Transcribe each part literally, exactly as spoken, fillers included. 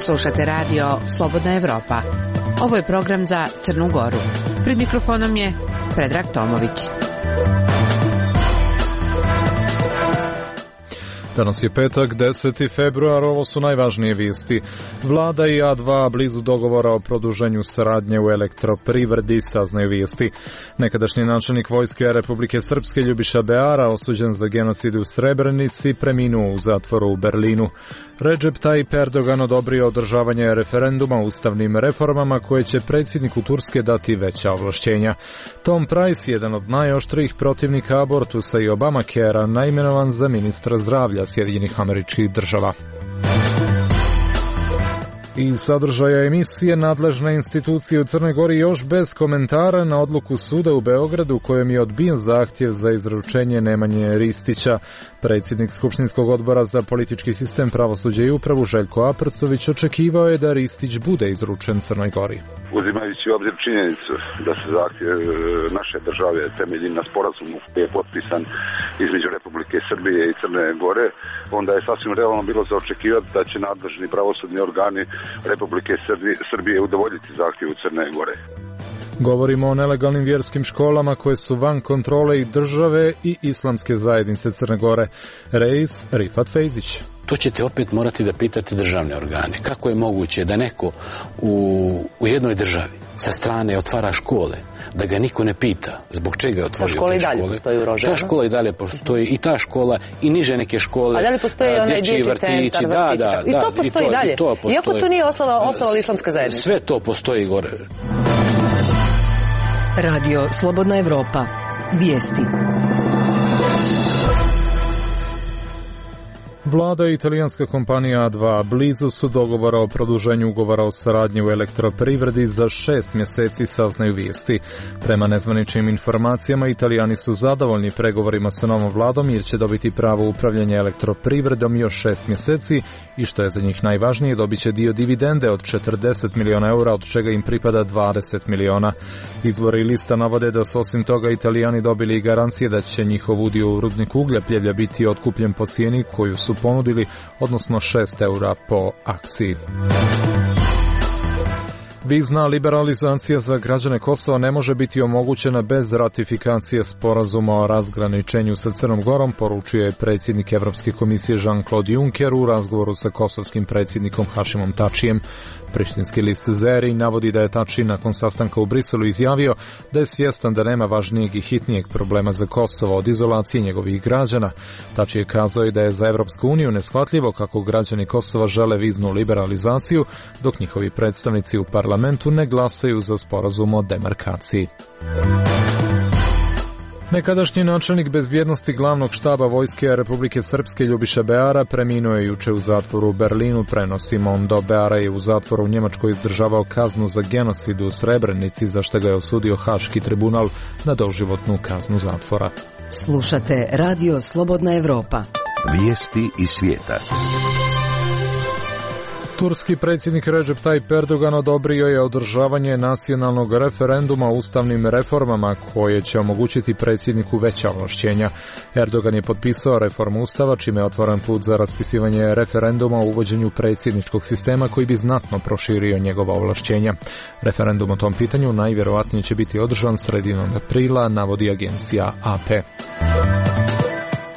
Slušate radio Slobodna Evropa. Ovo je program za Crnu Goru. Pred mikrofonom je Predrag Tomović. Danas je petak, deseti februar, ovo su najvažnije vijesti. Vlada i A dva blizu dogovora o produženju saradnje u elektroprivredi, saznaju vijesti. Nekadašnji načelnik vojske Republike Srpske Ljubiša Beara, osuđen za genocid u Srebrenici, preminuo u zatvoru u Berlinu. Recep Tayyip Erdogan odobrio održavanje referenduma o ustavnim reformama koje će predsjedniku Turske dati veća ovlašćenja. Tom Price, jedan od najoštrijih protivnika abortusa i Obamacarea, naimenovan za ministra zdravlja Sjedinjenih Američkih Država. Iz sadržaja emisije nadležne institucije u Crnoj Gori još bez komentara na odluku suda u Beogradu kojom je odbijen zahtjev za izručenje Nemanje Ristića. Predsjednik Skupštinskog odbora za politički sistem, pravosuđe i upravu Željko Aprcović očekivao je da Ristić bude izručen Crnoj Gori. Uzimajući u obzir činjenicu da se zahtjev naše države temelji na sporazumu koji je potpisan između Republike Srbije i Crne Gore, onda je sasvim realno bilo za očekivati da će nadležni pravosudni organi Republike Srbije udovoljiti zahtjevu Crne Gore. Govorimo o nelegalnim vjerskim školama koje su van kontrole i države i islamske zajednice Crne Gore. Reis Rifat Fejzić. To ćete opet morati da pitate državne organe. Kako je moguće da neko u, u jednoj državi sa strane otvara škole, da ga niko ne pita zbog čega je otvorio te škole? Ta škola i dalje postoji u Rožajama. Ta škola i dalje postoji, i ta škola i niže neke škole. A da li postoji onaj dječji vrtići, centar, da, vrtići? Da, I da, to postoji i, to, dalje. I to postoji. Iako to nije osnova, osnova islamska zajednica. Sve to postoji gore. Radio Slobodna Evropa. Vijesti. Vlada i italijanska kompanija A dva blizu su dogovora o produženju ugovora o saradnji u elektroprivredi za šest mjeseci, saznaju vijesti. Prema nezvaničnim informacijama, Italijani su zadovoljni pregovorima sa novom vladom jer će dobiti pravo upravljanja elektroprivredom još šest mjeseci i što je za njih najvažnije, dobit će dio dividende od četrdeset milijuna eura, od čega im pripada dvadeset milijuna. Izvori lista navode da su osim toga Italijani dobili i garancije da će njihov udio u rudniku Ugljepljevlja biti otkupljen po cijeni koju su ponudili, odnosno šest eura po akciji. Vizna liberalizacija za građane Kosova ne može biti omogućena bez ratifikacije sporazuma o razgraničenju sa Crnom Gorom, poručio je predsjednik Evropske komisije Jean-Claude Juncker u razgovoru sa kosovskim predsjednikom Hašimom Tačijem. Prištinski list Zeri navodi da je Tači nakon sastanka u Briselu izjavio da je svjestan da nema važnijeg i hitnijeg problema za Kosovo od izolacije njegovih građana. Tači je kazao i da je za Evropsku uniju neshvatljivo kako građani Kosova žele viznu liberalizaciju, dok njihovi predstavnici u parlamentu ne glasaju za sporazum o demarkaciji. Nekadašnji načelnik bezbjednosti glavnog štaba vojske Republike Srpske Ljubiša Beara preminuo je juče u zatvoru u Berlinu, prenosi Mondo. Beara je u zatvoru u Njemačkoj izdržavao kaznu za genocid u Srebrenici, za što ga je osudio Haški tribunal na doživotnu kaznu zatvora. Slušate radio Slobodna Evropa. Vijesti iz svijeta. Turski predsjednik Recep Tayyip Erdogan odobrio je održavanje nacionalnog referenduma o ustavnim reformama koje će omogućiti predsjedniku veća ovlašćenja. Erdogan je potpisao reformu ustava čime je otvoren put za raspisivanje referenduma o uvođenju predsjedničkog sistema koji bi znatno proširio njegova ovlašćenja. Referendum o tom pitanju najvjerojatnije će biti održan sredinom aprila, navodi agencija A P.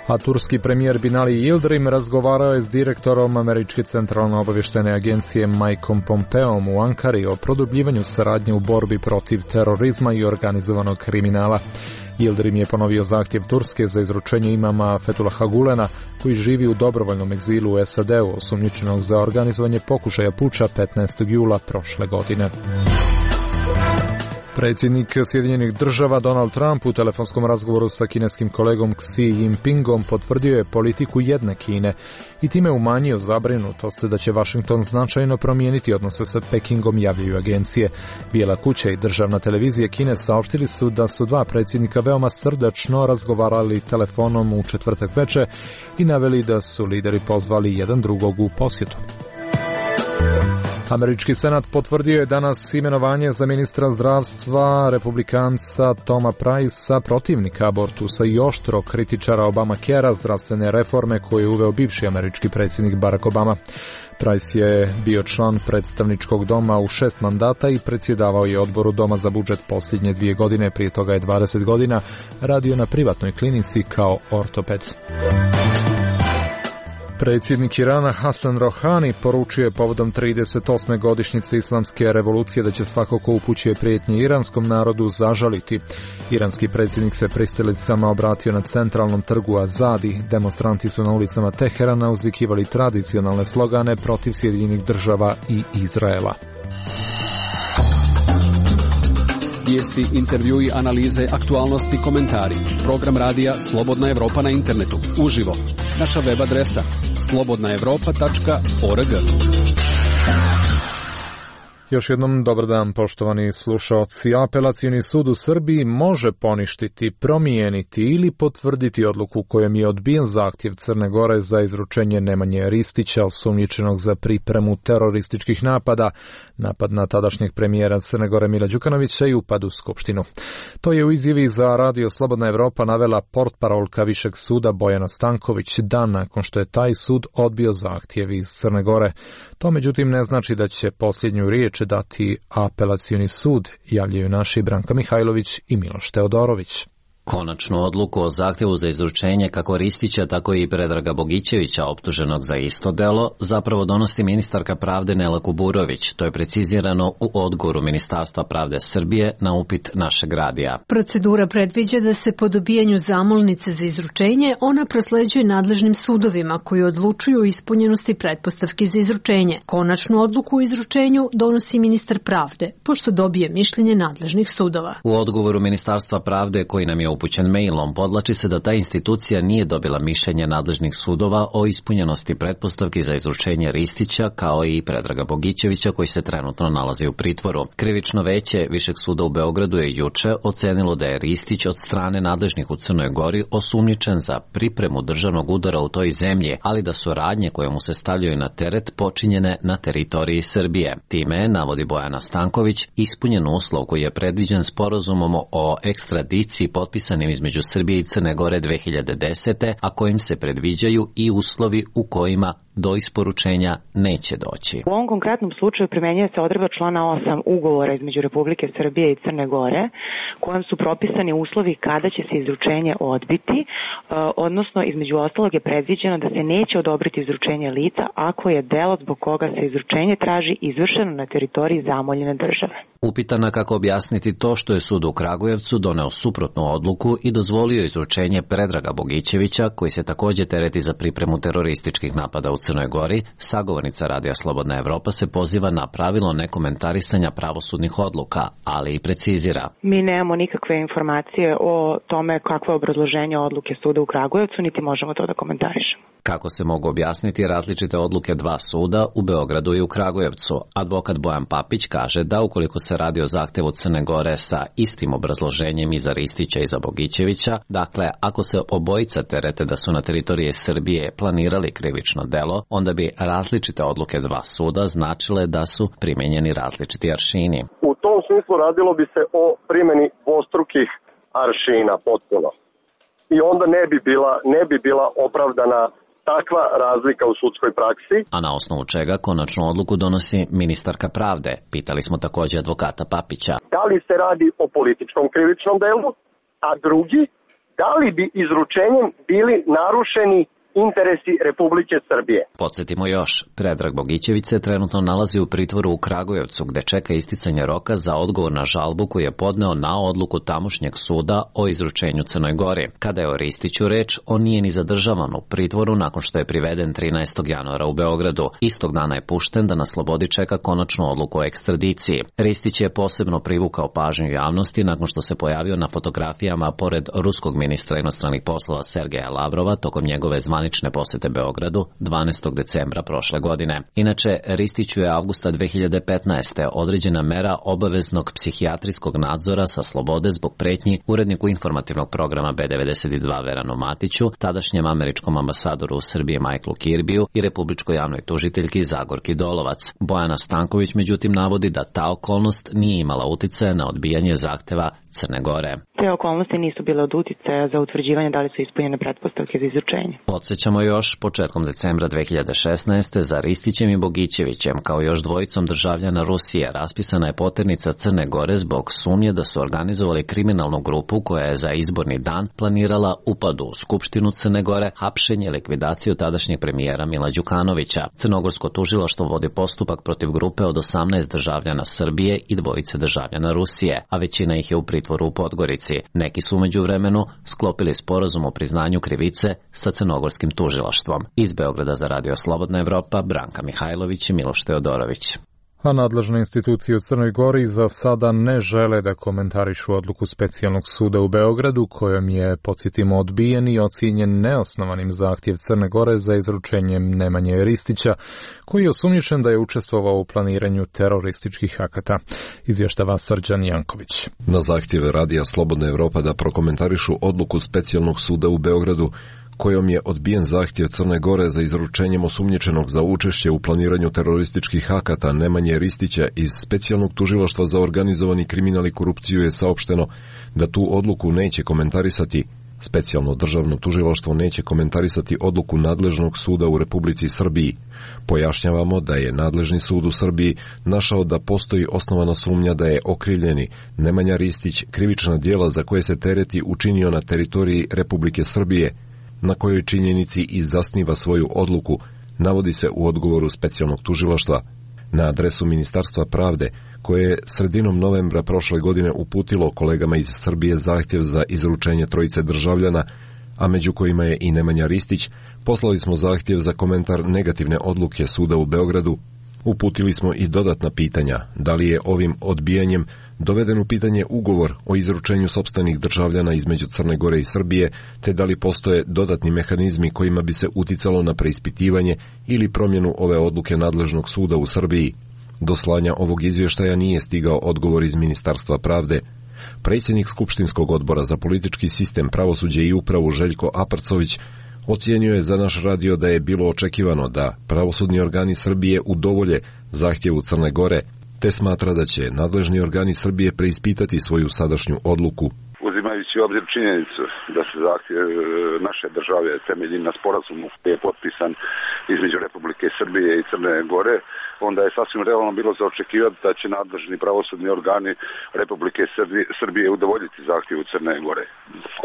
A turski premijer Binali Yildirim razgovarao je s direktorom Američke centralno obavještajne agencije Mikeom Pompeom u Ankari o produbljivanju saradnje u borbi protiv terorizma i organizovanog kriminala. Yildirim je ponovio zahtjev Turske za izručenje imama Fethullaha Gulena, koji živi u dobrovoljnom egzilu u S A D-u, osumnjičenog za organizovanje pokušaja puča petnaestog jula prošle godine. Predsjednik Sjedinjenih Država Donald Trump u telefonskom razgovoru sa kineskim kolegom Xi Jinpingom potvrdio je politiku jedne Kine i time umanjio zabrinutost da će Washington značajno promijeniti odnose sa Pekingom, javljaju agencije. Bijela kuća i državna televizija Kine saopštili su da su dva predsjednika veoma srdačno razgovarali telefonom u četvrtak večer i naveli da su lideri pozvali jedan drugog u posjetu. Američki senat potvrdio je danas imenovanje za ministra zdravstva republikanca Toma Price-a, protivnika abortusa i oštro kritičara Obamacarea, zdravstvene reforme koje je uveo bivši američki predsjednik Barack Obama. Price je bio član predstavničkog doma u šest mandata i predsjedavao je odboru doma za budžet posljednje dvije godine, prije toga je dvadeset godina radio na privatnoj klinici kao ortoped. Predsjednik Irana Hasan Rohani poručio je povodom trideset osme godišnjice islamske revolucije da će svako ko upućuje prijetnje iranskom narodu zažaliti. Iranski predsjednik se pristilicama obratio na centralnom trgu Azadi. Demonstranti su na ulicama Teherana uzvikivali tradicionalne slogane protiv Sjedinjenih država i Izraela. Vijesti, intervjui, analize, aktualnosti, komentari. Program radija Slobodna Evropa na internetu. Uživo. Naša web adresa slobodna evropa tačka org. Još jednom dobar dan, poštovani slušaoci. Apelacioni sud u Srbiji može poništiti, promijeniti ili potvrditi odluku kojom je odbijen zahtjev Crne Gore za izručenje Nemanje Ristića, osumnjičenog za pripremu terorističkih napada, napad na tadašnjeg premijera Crne Gore Mila Đukanovića i upad u Skupštinu. To je u izjavi za Radio Slobodna Evropa navela portparolka Višeg suda Bojana Stanković dan nakon što je taj sud odbio zahtjev iz Crne Gore. To međutim ne znači da će posljednju riječ dati apelacioni sud, javljaju naši Branka Mihajlović i Miloš Teodorović. Konačnu odluku o zahtjevu za izručenje kako Ristića, tako i Predraga Bogićevića, optuženog za isto delo, zapravo donosi ministarka pravde Nela Kuburović. To je precizirano u odgovoru Ministarstva pravde Srbije na upit našeg radija. Procedura predviđa da se po dobijanju zamolnice za izručenje ona prosleđuje nadležnim sudovima koji odlučuju o ispunjenosti pretpostavki za izručenje. Konačnu odluku o izručenju donosi ministar pravde, pošto dobije mišljenje nadležnih sudova. U odgovoru Ministarstva pravde koji nam je upućen mailom podlači se da ta institucija nije dobila mišljenje nadležnih sudova o ispunjenosti pretpostavki za izručenje Ristića kao i Predraga Bogićevića koji se trenutno nalazi u pritvoru. Krivično veće Višeg suda u Beogradu je juče ocenilo da je Ristić od strane nadležnih u Crnoj Gori osumnjičen za pripremu državnog udara u toj zemlji, ali da su radnje koje mu se stavljaju na teret počinjene na teritoriji Srbije. Time, navodi Bojana Stanković, ispunjen uslov koji je predviđen sporazumom o ekstradiciji potpisanim između Srbije i Crne Gore dve hiljade desete. a kojim se predviđaju i uslovi u kojima do isporučenja neće doći. U ovom konkretnom slučaju primenjuje se odredba člana osam ugovora između Republike Srbije i Crne Gore, kojom su propisani uslovi kada će se izručenje odbiti, odnosno između ostalog je predviđeno da se neće odobriti izručenje lica ako je delo zbog koga se izručenje traži izvršeno na teritoriji zamoljene države. Upitana kako objasniti to što je sud u Kragujevcu doneo suprotnu odluku i dozvolio izručenje Predraga Bogićevića, koji se također tereti za pripremu terorističkih napada u Crnoj Gori, sagovornica Radija Slobodna Evropa se poziva na pravilo nekomentarisanja pravosudnih odluka, ali i precizira. Mi nemamo nikakve informacije o tome kakvo je obrazloženje odluke suda u Kragujevcu, niti možemo to da komentarišemo. Kako se mogu objasniti različite odluke dva suda u Beogradu i u Kragujevcu? Advokat Bojan Papić kaže da ukoliko se radi o zahtevu Crne Gore sa istim obrazloženjem i za Ristića i za Bogićevića, dakle ako se obojica terete da su na teritoriji Srbije planirali krivično delo, onda bi različite odluke dva suda značile da su primenjeni različiti aršini. U tom smislu radilo bi se o primjeni dvostrukih aršina potpuno. I onda ne bi bila, ne bi bila opravdana takva razlika u sudskoj praksi. A na osnovu čega konačnu odluku donosi ministarka pravde? Pitali smo također advokata Papića. Da li se radi o političkom krivičnom delu, a drugi, da li bi izručenjem bili narušeni interesi Republike Srbije. Podsjetimo još, Predrag Bogićević se trenutno nalazi u pritvoru u Kragujevcu gde čeka isticanje roka za odgovor na žalbu koju je podneo na odluku tamošnjeg suda o izručenju Crnoj Gori. Kada je o Ristiću reč, on nije ni zadržavan u pritvoru nakon što je priveden trinaestog januara u Beogradu. Istog dana je pušten da na slobodi čeka konačnu odluku o ekstradiciji. Ristić je posebno privukao pažnju javnosti nakon što se pojavio na fotografijama pored ruskog ministra inostranih poslova Sergeja Lavrova tokom njegove zvanične posete Beogradu dvanaestog decembra prošle godine. Inače, Ristiću je avgusta dve hiljade petnaeste. određena mera obaveznog psihijatrijskog nadzora sa slobode zbog pretnji uredniku informativnog programa B devedeset dva Veranu Matiću, tadašnjem američkom ambasadoru u Srbiji Michaelu Kirbiju i republičkoj javnoj tužiteljki Zagorki Dolovac. Bojana Stanković međutim navodi da ta okolnost nije imala uticaja na odbijanje zahteva Crne Gore. Te okolnosti nisu bile od uticaja za utvrđivanje da li su ispunjene pretpostavke za izručenje. Podsjećamo još, početkom decembra dve hiljade šesnaeste. za Ristićem i Bogićevićem, kao još dvojicom državljana Rusije, raspisana je poternica Crne Gore zbog sumnje da su organizovali kriminalnu grupu koja je za izborni dan planirala upad u Skupštinu Crne Gore, hapšenje i likvidaciju tadašnjeg premijera Mila Đukanovića. Crnogorsko tužilaštvo vodi postupak protiv grupe od osamnaest državljana Srbije i dvojice državljana Rusije, a većina ih je u pritvoru u Podgorici. Neki su umeđu vremenu sklopili sporazum o priznanju krivice sa crnogorskim tužilaštvom. Iz Beograda za Radio Slobodna Evropa, Branka Mihajlović i Miloš Teodorović. A nadležne institucije u Crnoj Gori za sada ne žele da komentarišu odluku Specijalnog suda u Beogradu, kojom je, podsjetimo, odbijen i ocijenjen neosnovanim zahtjev Crne Gore za izručenjem Nemanje Ristića, koji je osumnjičen da je učestvovao u planiranju terorističkih akata. Izvještava Srđan Janković. Na zahtjeve Radija Slobodna Evropa da prokomentarišu odluku Specijalnog suda u Beogradu, kojom je odbijen zahtjev Crne Gore za izručenjem osumnjičenog za učešće u planiranju terorističkih akata Nemanje Ristića iz Specijalnog tužilaštva za organizovani kriminal i korupciju, je saopšteno da tu odluku neće komentarisati. Specijalno državno tužilaštvo neće komentarisati odluku nadležnog suda u Republici Srbiji. Pojašnjavamo da je nadležni sud u Srbiji našao da postoji osnovana sumnja da je okrivljeni Nemanja Ristić krivična djela za koje se tereti učinio na teritoriji Republike Srbije, na kojoj činjenici i zasniva svoju odluku, navodi se u odgovoru Specijalnog tužilaštva. Na adresu Ministarstva pravde, koje je sredinom novembra prošle godine uputilo kolegama iz Srbije zahtjev za izručenje trojice državljana, a među kojima je i Nemanja Ristić, poslali smo zahtjev za komentar negativne odluke suda u Beogradu. Uputili smo i dodatna pitanja, da li je ovim odbijanjem doveden u pitanje ugovor o izručenju sopstvenih državljana između Crne Gore i Srbije, te da li postoje dodatni mehanizmi kojima bi se uticalo na preispitivanje ili promjenu ove odluke nadležnog suda u Srbiji. Do slanja ovog izvještaja nije stigao odgovor iz Ministarstva pravde. Predsjednik Skupštinskog odbora za politički sistem, pravosuđe i upravu Željko Aparcović ocijenio je za naš radio da je bilo očekivano da pravosudni organi Srbije udovolje zahtjevu Crne Gore, te smatra da će nadležni organi Srbije preispitati svoju sadašnju odluku. Uzimajući u obzir činjenicu da se zahtjev naše države temelji na sporazumu koji je potpisan između Republike Srbije i Crne Gore, onda je sasvim realno bilo za očekivati da će nadležni pravosudni organi Republike Srbije udovoljiti zahtjevu Crne Gore.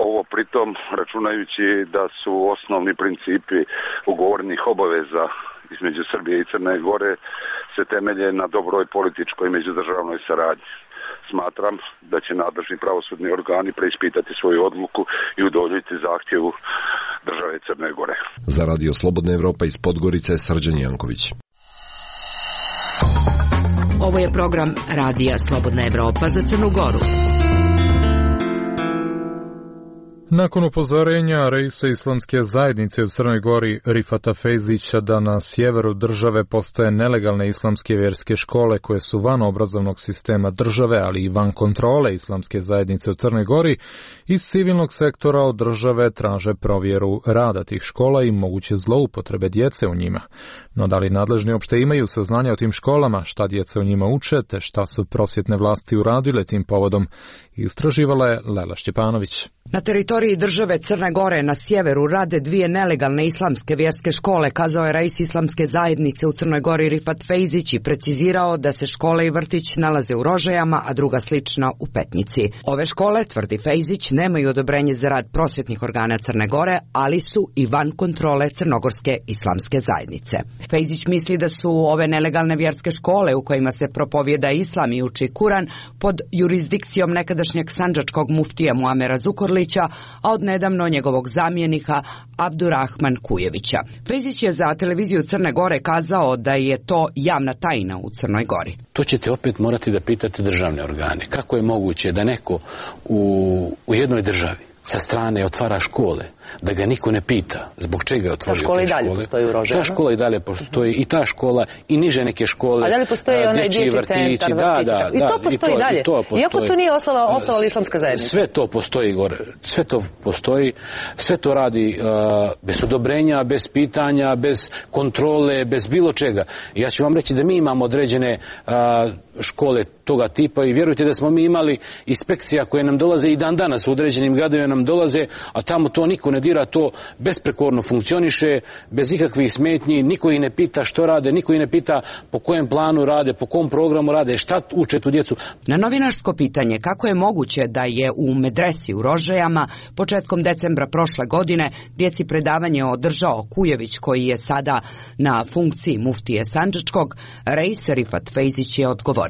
Ovo pritom računajući da su osnovni principi ugovornih obaveza između Srbije i Crne Gore se temelje na dobroj političkoj međudržavnoj saradnji. Smatram da će nadležni pravosudni organi preispitati svoju odluku i udovoljiti zahtjevu države Crne Gore. Za Radio Slobodna Evropa iz Podgorice, Srđan Janković. Ovo je program Radija Slobodna Evropa za Crnu Goru. Nakon upozorenja reisa islamske zajednice u Crnoj Gori Rifata Fejzića da na sjeveru države postoje nelegalne islamske vjerske škole koje su van obrazovnog sistema države, ali i van kontrole islamske zajednice u Crnoj Gori, iz civilnog sektora od države traže provjeru rada tih škola i moguće zloupotrebe djece u njima. No da li nadležni uopšte imaju saznanja o tim školama, šta djeca u njima uče, te šta su prosvjetne vlasti uradile tim povodom, istraživala je Lela Šćepanović. Na teritoriji države Crne Gore na sjeveru rade dvije nelegalne islamske vjerske škole, kazao je rais islamske zajednice u Crnoj Gori Rifat Fejzić i precizirao da se škole i vrtić nalaze u Rožajama, a druga slična u Petnici. Ove škole, tvrdi Fejzić, nemaju odobrenje za rad prosvjetnih organa Crne Gore, ali su i van kontrole Crnogorske islamske zajednice. Fejzić misli da su ove nelegalne vjerske škole u kojima se propovjeda islam i uči Kuran pod jurisdikcijom nekadašnjeg sandžačkog muftija Muamera Zukorlića, a od nedavno njegovog zamjenika Abdurrahman Kujevića. Fejzić je za televiziju Crne Gore kazao da je to javna tajna u Crnoj Gori. To ćete opet morati da pitate državne organe. Kako je moguće da neko u, u jednoj državi sa strane otvara škole, da ga niko ne pita zbog čega je otvorio te škole. Ta škola i dalje postoji u Rožajama? Ta škola i dalje postoji, i ta škola, i niže neke škole. A da li postoji onaj dječji centar, da, da, i to postoji i dalje? Iako to nije osnovala, osnovala islamska zajednica? Sve to postoji gore, sve to postoji, sve to radi uh, bez odobrenja, bez pitanja, bez kontrole, bez bilo čega. I ja ću vam reći da mi imamo određene uh, škole toga tipa i vjerujte da smo mi imali inspekcija koje nam dolaze i dan danas u određenim gradovima nam dolaze, a tamo to niko ne dira, to besprekorno funkcioniše, bez ikakvih smetnji, niko ih ne pita što rade, niko ih ne pita po kojem planu rade, po kom programu rade, šta uče tu djecu. Na novinarsko pitanje kako je moguće da je u medresi u Rožajama početkom decembra prošle godine djeci predavanje održao Kujević, koji je sada na funkciji muftije Sandžačkog, Reis Rifat Fejzić je odgovorio.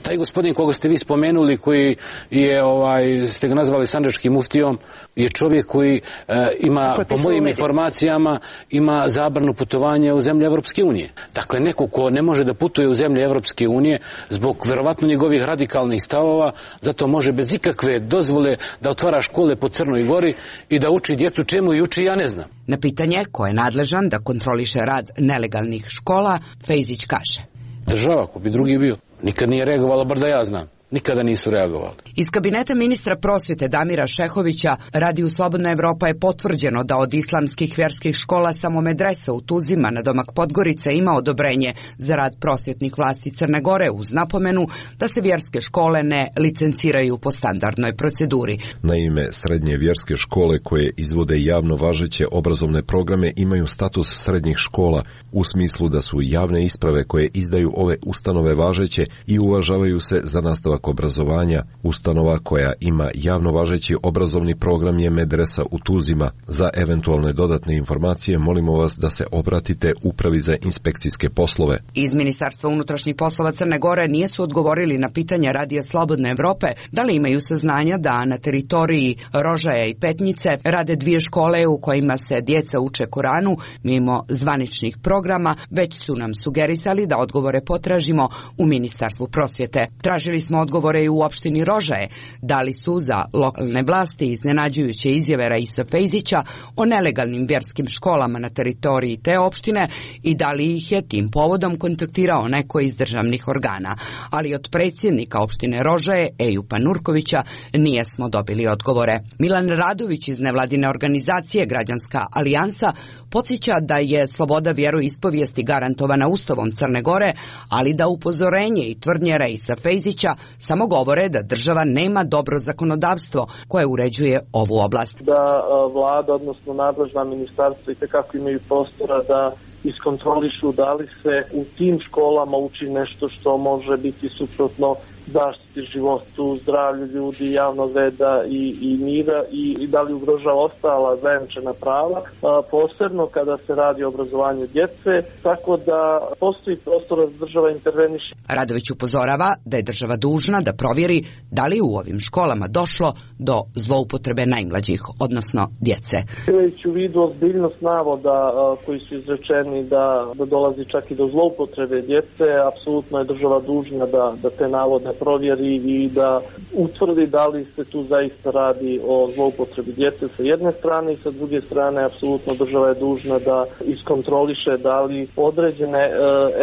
Taj gospodin koga ste vi spomenuli, koji je, ovaj, ste ga nazvali Sandžačkim muftijom, je čovjek koji e, ima, po mojim informacijama, ima zabranu putovanja u zemlje Evropske unije. Dakle, neko ko ne može da putuje u zemlje Evropske unije zbog verovatno njegovih radikalnih stavova, zato može bez ikakve dozvole da otvara škole po Crnoj Gori i da uči djecu čemu i uči, ja ne znam. Na pitanje ko je nadležan da kontroliše rad nelegalnih škola, Fejzić kaže. Država, ko bi drugi bio. Nikad nije reagovala, bar da ja znam. Nikada nisu reagovali. Iz kabineta ministra prosvjete Damira Šehovića Radiju Slobodna Evropa je potvrđeno da od islamskih vjerskih škola samo medresa u Tuzima na domak Podgorice ima odobrenje za rad prosvjetnih vlasti Crne Gore, uz napomenu da se vjerske škole ne licenciraju po standardnoj proceduri. Naime, srednje vjerske škole koje izvode javno važeće obrazovne programe imaju status srednjih škola u smislu da su javne isprave koje izdaju ove ustanove važeće i uvažavaju se za nastavak obrazovanja. Ustanova koja ima javno važeći obrazovni program je medresa u Tuzima. Za eventualne dodatne informacije molimo vas da se obratite Upravi za inspekcijske poslove. Iz Ministarstva unutrašnjih poslova Crne Gore nisu odgovorili na pitanja Radija Slobodne Evrope da li imaju saznanja da na teritoriji Rožaja i Petnjice rade dvije škole u kojima se djeca uče Koranu mimo zvaničnih programa, već su nam sugerisali da odgovore potražimo u Ministarstvu prosvjete. Tražili smo odgovore i u opštini Rožaje, da li su za lokalne vlasti iznenađujuće izjave Reisa Fejzića o nelegalnim vjerskim školama na teritoriji te opštine i da li ih je tim povodom kontaktirao neko iz državnih organa. Ali od predsjednika opštine Rožaje, Ejupa Nurkovića, nije smo dobili odgovore. Milan Radović iz nevladine organizacije Građanska alijansa podsjeća da je sloboda vjeroispovijesti garantovana Ustavom Crne Gore, ali da upozorenje i tvrdnje Reisa Fejzića samo govore da država nema dobro zakonodavstvo koje uređuje ovu oblast. Da vlada, odnosno nadležna ministarstva, itekako imaju prostora da iskontrolišu da li se u tim školama uči nešto što može biti suprotno zaštiti životu, zdravlju ljudi, javnog reda i, i mira i, i da li ugrožava ostala zajamčena prava, a, posebno kada se radi o obrazovanju djece, tako da postoji prostor da država interveniše. Radović upozorava da je država dužna da provjeri da li u ovim školama došlo do zloupotrebe najmlađih, odnosno djece. Imajući u vidu ozbiljnost navoda a, koji su izrečeni da, da dolazi čak i do zloupotrebe djece, apsolutno je država dužna da, da te navode provjeri i da utvrdi da li se tu zaista radi o zloupotrebi djece sa jedne strane i sa druge strane apsolutno država je dužna da iskontroliše da li određene e,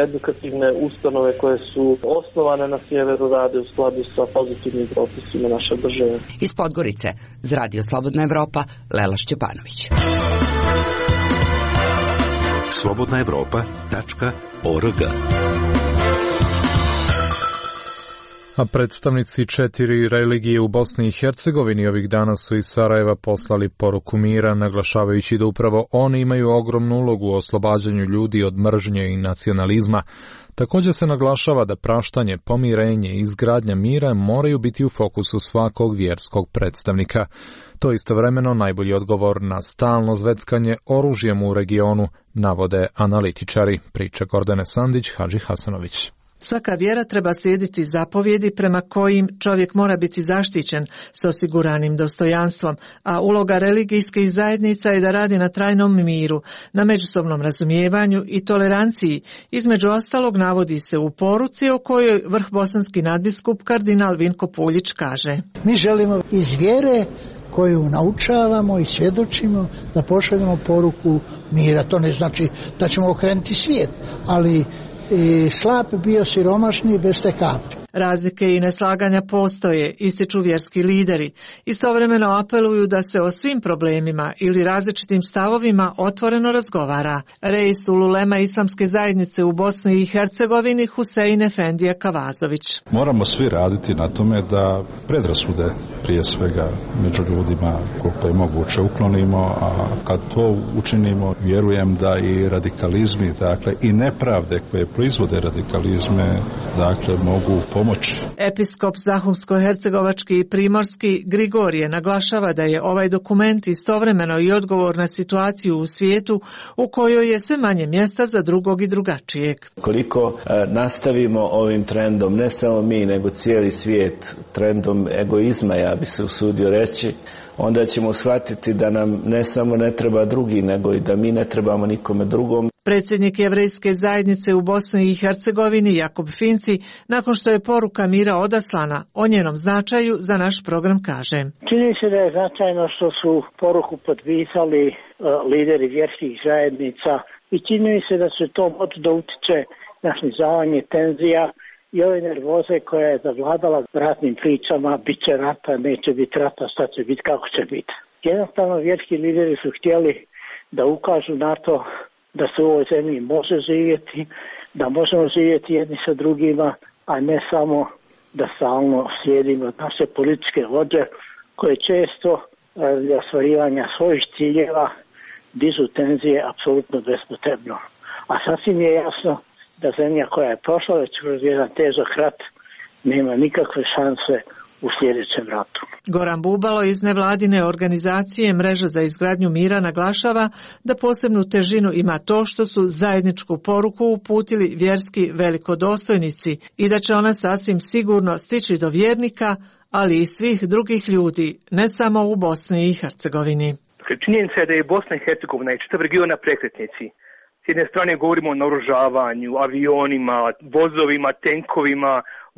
edukativne ustanove koje su osnovane na sjeveru rade u skladu sa pozitivnim propisima naše države. Iz Podgorice, za Radio Slobodna Evropa, Lela Šćepanović. slobodna evropa tačka org. A predstavnici četiri religije u Bosni i Hercegovini ovih dana su iz Sarajeva poslali poruku mira, naglašavajući da upravo oni imaju ogromnu ulogu u oslobađanju ljudi od mržnje i nacionalizma. Također se naglašava da praštanje, pomirenje i izgradnja mira moraju biti u fokusu svakog vjerskog predstavnika. To istovremeno najbolji odgovor na stalno zveckanje oružjem u regionu, navode analitičari, priča Gordane Sandić, Hadži Hasanović. Svaka vjera treba slijediti zapovjedi prema kojim čovjek mora biti zaštićen s osiguranim dostojanstvom, a uloga religijskih zajednica je da radi na trajnom miru, na međusobnom razumijevanju i toleranciji. Između ostalog navodi se u poruci o kojoj vrhbosanski nadbiskup kardinal Vinko Puljić kaže: Mi želimo iz vjere koju naučavamo i svjedočimo, da pošaljemo poruku mira. To ne znači da ćemo okrenuti svijet, ali i slab bio siromašni bez te kapi. Razlike i neslaganja postoje, ističu vjerski lideri. Istovremeno apeluju da se o svim problemima ili različitim stavovima otvoreno razgovara. Reis ululema islamske zajednice u Bosni i Hercegovini Husein Efendija Kavazović. Moramo svi raditi na tome da predrasude prije svega među ljudima koliko je moguće uklonimo, a kad to učinimo vjerujem da i radikalizmi, dakle i nepravde koje proizvode radikalizme, dakle mogu pomoći. Episkop Zahumsko-hercegovački i primorski Grigorije naglašava da je ovaj dokument istovremeno i odgovor na situaciju u svijetu u kojoj je sve manje mjesta za drugog i drugačijeg. Koliko e, nastavimo ovim trendom, ne samo mi, nego cijeli svijet, trendom egoizma, ja bi se usudio reći, onda ćemo shvatiti da nam ne samo ne treba drugi, nego i da mi ne trebamo nikome drugom. Predsjednik jevrejske zajednice u Bosni i Hercegovini Jakob Finci, nakon što je poruka mira odaslana, o njenom značaju za naš program kaže. Čini se da je značajno što su poruku potpisali uh, lideri vjerskih zajednica i čini se da se to može da utiče na snizavanje tenzija i ove nervoze koja je zavladala ratnim pričama, bit će rata, neće biti rata, šta će biti, kako će biti. Jednostavno vjerski lideri su htjeli da ukažu na to da se u ovoj zemlji može živjeti, da možemo živjeti jedni sa drugima, a ne samo da stalno slijedimo naše političke vođe koje često radi ostvarivanja svojih ciljeva dižu tenzije apsolutno bespotrebno. A sasvim je jasno da zemlja koja je prošla već kroz jedan težak rat nema nikakve šanse u sljedećem ratu. Goran Bubalo iz nevladine organizacije Mreža za izgradnju mira naglašava da posebnu težinu ima to što su zajedničku poruku uputili vjerski velikodostojnici i da će ona sasvim sigurno stići do vjernika, ali i svih drugih ljudi, ne samo u Bosni i Hercegovini. Činjenica je da je Bosna i Hercegovina i čitav region na prekretnici. S jedne strane govorimo o naoružavanju, avionima, vozovima, tenkovima,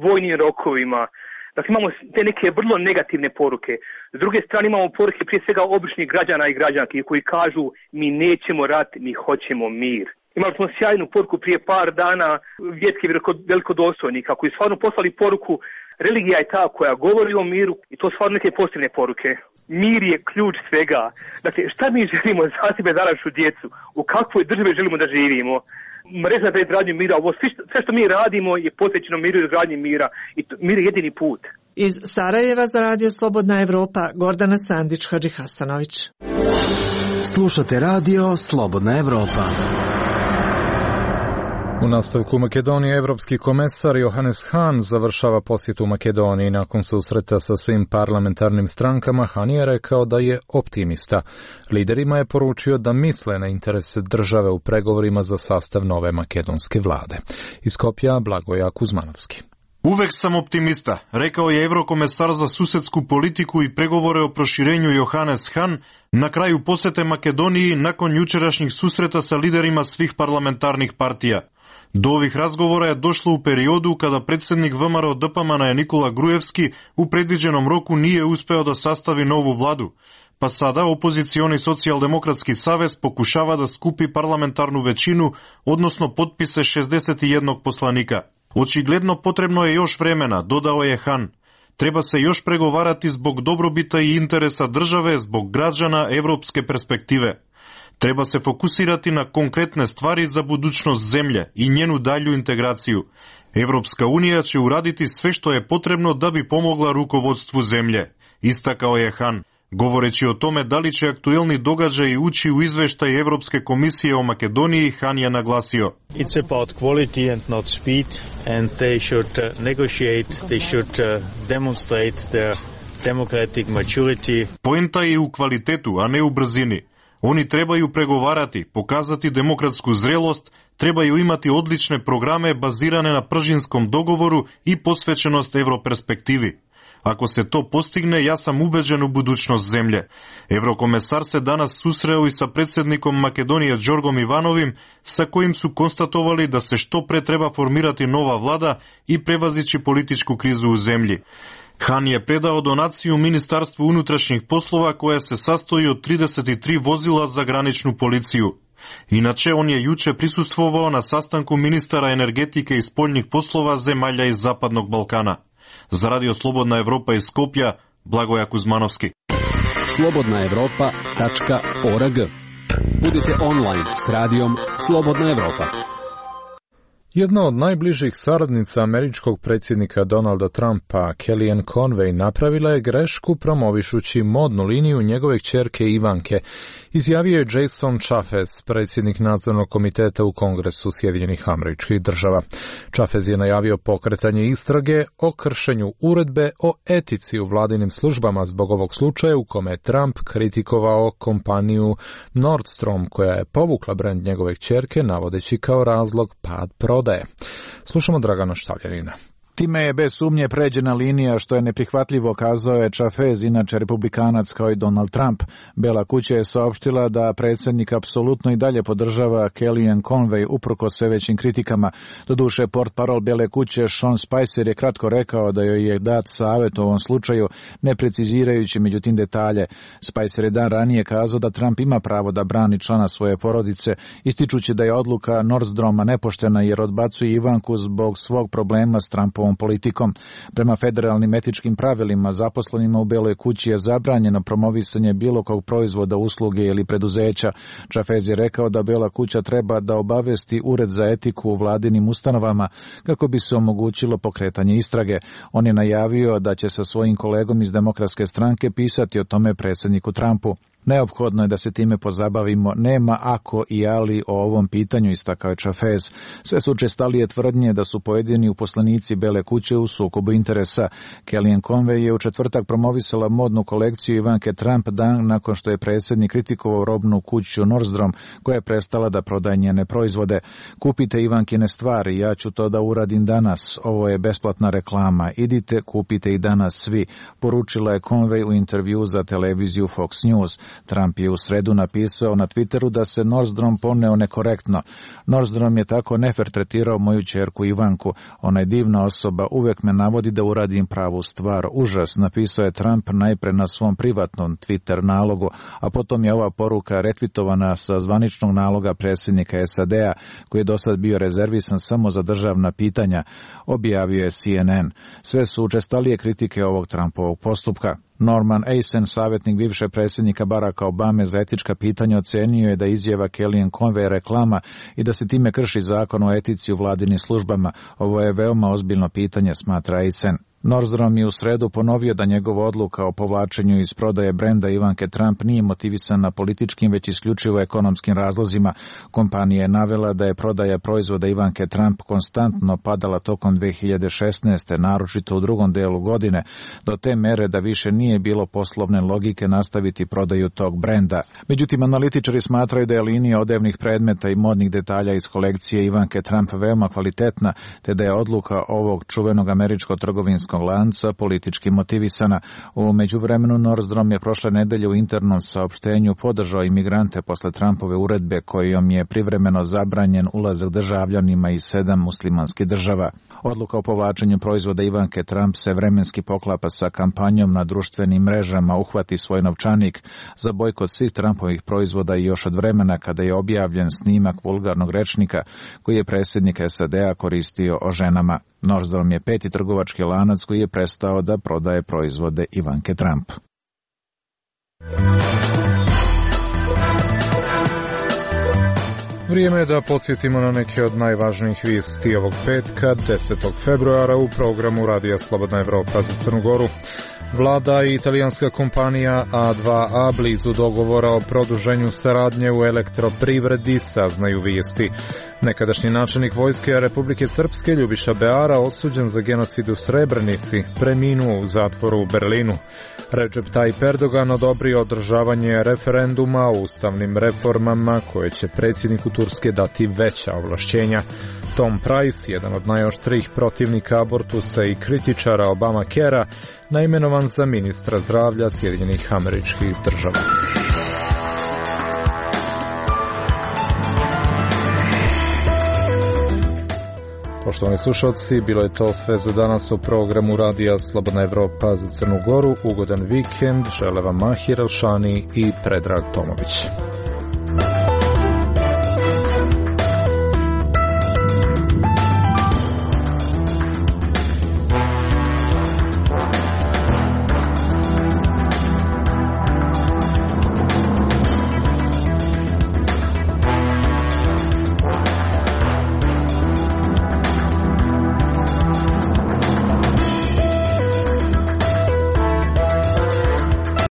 vojnim rokovima. Dakle, imamo te neke vrlo negativne poruke. S druge strane imamo poruke prije svega običnih građana i građanki koji kažu mi nećemo rat, mi hoćemo mir. Imali smo sjajnu poruku prije par dana vjerskih velikodostojnika koji stvarno poslali poruku religija je ta koja govori o miru i to stvarno neke pozitivne poruke. Mir je ključ svega. Dakle, šta mi želimo za sebe, za našu djecu? U kakvoj državi želimo da živimo? Mreža za izgradnju mira, ovo sve, sve što mi radimo je posvećeno miru i izgradnji mira i to, mir je jedini put. Iz Sarajeva za radio Slobodna Evropa, Gordana Sandić Hadžihasanović. Slušate radio Slobodna Evropa. U nastavku Makedonije evropski komesar Johannes Hahn završava posjet u Makedoniji. Nakon susreta sa svim parlamentarnim strankama, Hahn je rekao da je optimista. Liderima je poručio da misle na interese države u pregovorima za sastav nove makedonske vlade. Iz Skopja Blagoja Kuzmanovski. Uvek sam optimista, rekao je evrokomesar za susedsku politiku i pregovore o proširenju Johannes Hahn na kraju posete Makedoniji nakon jučerašnjih susreta sa liderima svih parlamentarnih partija. Do ovih razgovora je došlo u periodu kada predsjednik V M R O D P M N-a Nikola Grujevski u predviđenom roku nije uspeo da sastavi novu vladu, pa sada opozicioni socijaldemokratski savez pokušava da skupi parlamentarnu većinu, odnosno potpise šezdeset jednog poslanika. Očigledno potrebno je još vremena, dodao je Hahn. Treba se još pregovarati zbog dobrobita i interesa države, zbog građana evropske perspektive. Treba se fokusirati na konkretne stvari za budućnost zemlje i njenu dalju integraciju. Evropska unija će uraditi sve što je potrebno da bi pomogla rukovodstvu zemlje, istakao je Hahn. Govoreći o tome da li će aktuelni događaji ući u izveštaj Evropske komisije o Makedoniji, Hahn je naglasio. It's about quality and not speed, and they should uh, negotiate, they should uh, demonstrate their democratic maturity. Poenta je u kvalitetu, a ne u brzini. Oni trebaju pregovarati, pokazati demokratsku zrelost, trebaju imati odlične programe bazirane na pržinskom dogovoru i posvećenost evroperspektivi. Ako se to postigne, ja sam ubeđen u budućnost zemlje. Evrokomesar se danas susreo i sa predsjednikom Makedonije Đorgom Ivanovim, sa kojim su konstatovali da se što pre treba formirati nova vlada i prevazići političku krizu u zemlji. Han je predao donaciju Ministarstvu unutrašnjih poslova koja se sastoji od trideset tri vozila za graničnu policiju. Inače, on je juče prisustvovao na sastanku ministara energetike i spoljnih poslova zemalja iz Zapadnog Balkana. Za Radio Slobodna Evropa iz Skopja, Blagoja Kuzmanovski. slobodna evropa tačka org. Budite online s radijom Slobodna Evropa. Jedna od najbližih saradnica američkog predsjednika Donalda Trumpa, Kellyanne Conway, napravila je grešku promovišući modnu liniju njegove kćerke Ivanke, izjavio je Jason Chaffetz, predsjednik nadzornog komiteta u Kongresu Sjedinjenih Američkih Država. Chaffetz je najavio pokretanje istrage o kršenju uredbe o etici u vladinim službama zbog ovog slučaja u kome je Trump kritikovao kompaniju Nordstrom koja je povukla brend njegove kćerke navodeći kao razlog pad prodaje. Slušamo Dragana Štavljanina. Time je bez sumnje pređena linija što je neprihvatljivo, kazao je Chaffetz, inače republikanac kao i Donald Trump. Bela kuća je saopštila da predsjednik apsolutno i dalje podržava Kellyanne Conway uprkos sve većim kritikama. Doduše, portparol Bele kuće Sean Spicer je kratko rekao da joj je dat savjet u ovom slučaju, ne precizirajući međutim detalje. Spicer je dan ranije kazao da Trump ima pravo da brani člana svoje porodice, ističući da je odluka Nordstroma nepoštena jer odbacuje Ivanku zbog svog problema s Trumpovom politikom. Prema federalnim etičkim pravilima, zaposlenima u Beloj kući je zabranjeno promovisanje bilo kog proizvoda, usluge ili preduzeća. Chaffetz je rekao da Bela kuća treba da obavesti Ured za etiku u vladinim ustanovama kako bi se omogućilo pokretanje istrage. On je najavio da će sa svojim kolegom iz Demokratske stranke pisati o tome predsjedniku Trumpu. Neophodno je da se time pozabavimo, nema ako i ali o ovom pitanju, istakao je Chaffetz. Sve su učestalije tvrdnje da su pojedini uposlenici Bele kuće u sukobu interesa. Kellyanne Conway je u četvrtak promovisala modnu kolekciju Ivanke Trump dan nakon što je predsjednik kritikovao robnu kuću Nordstrom koja je prestala da prodaje njene proizvode. Kupite Ivankine stvari, ja ću to da uradim danas, ovo je besplatna reklama, idite, kupite i danas svi, poručila je Conway u intervju za televiziju Fox News. Trump je u sredu napisao na Twitteru da se Nordstrom poneo nekorektno. Nordstrom je tako nefer tretirao moju ćerku Ivanku. Ona je divna osoba, uvek me navodi da uradim pravu stvar. Užas, napisao je Trump najpre na svom privatnom Twitter nalogu, a potom je ova poruka retvitovana sa zvaničnog naloga predsjednika S A D-a, koji je do sad bio rezervisan samo za državna pitanja, objavio je C N N. Sve su učestalije kritike ovog Trumpovog postupka. Norman Eisen, savjetnik bivše predsjednika Baracka Obame za etička pitanja, ocenio je da izjava Kellyanne Conway reklama i da se time krši zakon o etici u vladinim službama. Ovo je veoma ozbiljno pitanje, smatra Eisen. Nordstrom je u sredu ponovio da njegova odluka o povlačenju iz prodaje brenda Ivanke Trump nije motivisana političkim, već isključivo ekonomskim razlozima. Kompanija je navela da je prodaja proizvoda Ivanke Trump konstantno padala tokom dve hiljade šesnaeste. naročito u drugom delu godine, do te mere da više nije bilo poslovne logike nastaviti prodaju tog brenda. Međutim, analitičari smatraju da je linija odevnih predmeta i modnih detalja iz kolekcije Ivanke Trump veoma kvalitetna, te da je odluka ovog čuvenog američkog trgovinskog lanca politički motivisana. U međuvremenu Nordstrom je prošle nedelje u internom saopštenju podržao imigrante posle Trumpove uredbe kojom je privremeno zabranjen ulazak državljanima iz sedam muslimanskih država. Odluka o povlačenju proizvoda Ivanke Trump se vremenski poklapa sa kampanjom na društvenim mrežama Uhvati svoj novčanik za bojkot svih Trumpovih proizvoda i još od vremena kada je objavljen snimak vulgarnog rečnika koji je predsjednik S A D-a koristio o ženama. Nordstrom je peti trgovački lanac koji je prestao da prodaje proizvode Ivanke Trump. Vrijeme je da podsjetimo na neke od najvažnijih vijesti ovog petka, desetog februara u programu Radija Slobodna Evropa za Crnu Goru. Vlada i italijanska kompanija A dva A blizu dogovora o produženju saradnje u elektroprivredi, saznaju vijesti. Nekadašnji načelnik vojske Republike Srpske Ljubiša Beara, osuđen za genocid u Srebrenici, preminuo u zatvoru u Berlinu. Recep Tayyip Erdogan odobrio održavanje referenduma o ustavnim reformama koje će predsjedniku Turske dati veća ovlašćenja. Tom Price, jedan od najoštrijih protivnika abortusa i kritičara Obamacarea, naimenovan za ministra zdravlja Sjedinjenih Američkih Država. Poštovani slušalci, bilo je to sve za danas u programu Radija Slobodna Evropa za Crnu Goru. Ugodan vikend, žele vam Mahir Elšani i Predrag Tomović.